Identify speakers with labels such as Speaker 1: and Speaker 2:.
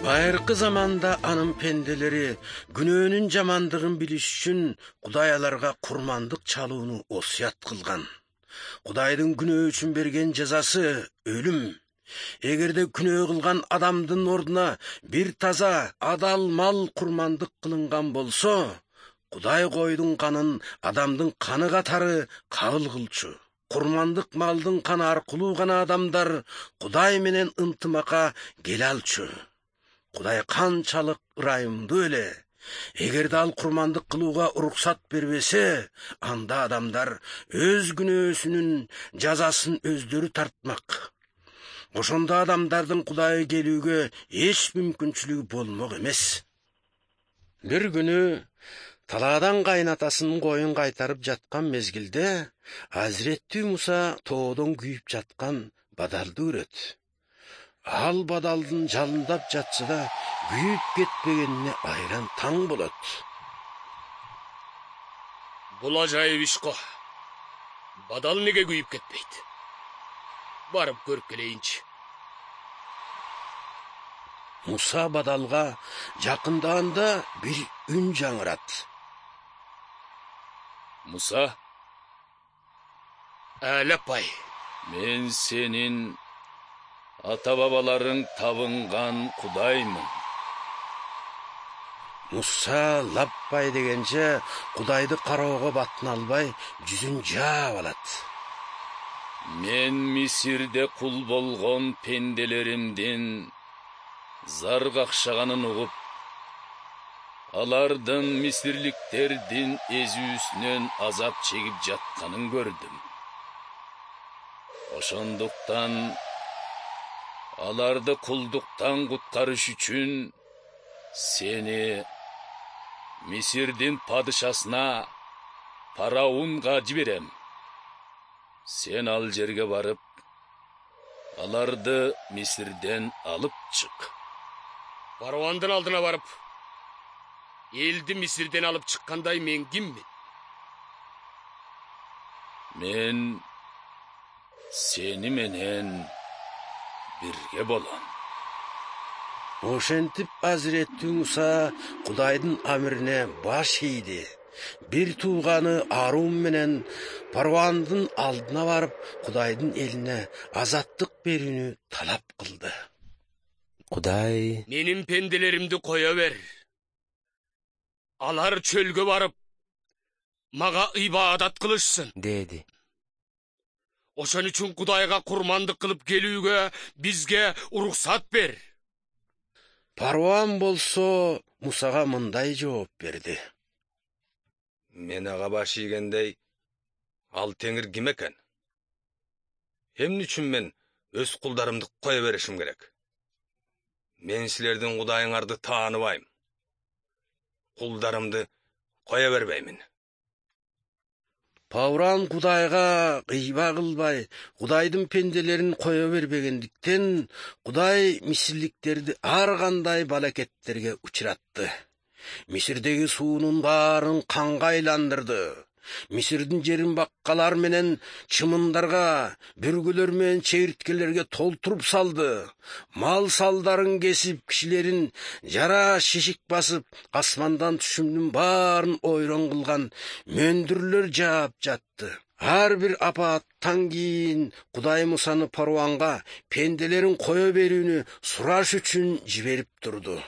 Speaker 1: Байыркы заманда анын пенделери күнөөнүн жамандыгын билиш үчүн Кудай аларга курмандык чалууну осуят кылган. Кудайдын күнөө үчүн берген жазасы өлүм. Эгерде күнөө кылган адамдын ордуна бир таза, адал мал курмандык кылынган болсо, Кудай койдун канын адамдын каны катары кабыл кылчу. Курмандык малдын каны аркылуу гана адамдар Кудай менен ынтымакка келе алчу. Кудай канчалык ырайымдуу эле. Эгерде ал курмандык кылууга уруксат бербесе, анда адамдар өз күнөөсүнүн жазасын өздөрү тартмак. Ошондо адамдардын Кудайга келүүгө эч мүмкүнчүлүгү болмок эмес. Бир күнү талаадан кайнатасынын коюн кайтарып жаткан мезгилде Азирети Муса тоодон күйүп жаткан бадалды көрөт. Ал бадалдын жалындап жатса да күйүп кетпегенине айран таң болот.
Speaker 2: Бул ажайып иш го. Бадал неге күйүп кетпейт? Барып көрүп келейинчи.
Speaker 1: Муса бадалга жакындаганда бир үн жаңырат.
Speaker 2: Муса, Алапай,
Speaker 3: мен сенин ата-бабаларың табынган Кудаймын.
Speaker 1: Муса лаппай дегенче Кудайды кароого батын албай жүзүн жаап алат.
Speaker 3: Мен Мисирде кул болгон пенделеримдин зар какшаганын угуп, алардын мисирликтердин эзүүсүнөн азап чегип жатканын көрдүм. Ошондуктан аларды кулдуктан куткарыш үчүн сени Мисирдин падышасына Фараонга жиберем. Сен ал жерге барып, аларды Мисирден алып чык.
Speaker 2: Фараондун алдына барып, элди Мисирден алып чыккандай мен киммин?
Speaker 3: Мен сени менен бирге болом.
Speaker 1: Ошентип Азирети Муса Кудайдын амирине баш ийди. Бир тууганы Арун менен Фараондун алдына барып, Кудайдын элине азаттык берүүнү талап кылды. Кудай:
Speaker 2: менин пенделеримди кое бер. Алар чөлгө барып, мага ибадат кылышсын,
Speaker 1: деди.
Speaker 2: Ошон үчүн Кудайга курмандык кылып келүүгө бизге уруксат бер.
Speaker 1: Фараон болсо Мусага мындай жооп берди.
Speaker 4: Мен ага баш ийгендей, ал теңир ким экен? Эмне үчүн мен өз кулдарымды кое беришим керек? Мен силердин Кудайыңарды тааныбайм. Кулдарымды кое бербеймин.
Speaker 1: Фараон Кудайга кыйба кылбай, Кудайдын пенделерин кое бербегендиктен, Кудай мисирликтерди ар кандай балакеттерге учуратты. Мисирдеги суунун баарын канга айландырды. Мисирдин жерин баккалар менен чымындарга, бүргүлөр менен чегирткелерге толтуруп салды. Мал салдарын кесип, кишилерин жара шишик басып, асмандан түшүмдүн баарын ойрон кылган мөндүрлөр жаап жатты. Ар бир апааттан кийин Кудай Мусаны Фараонга пенделерин кое берүүнү сураш үчүн жиберип турду.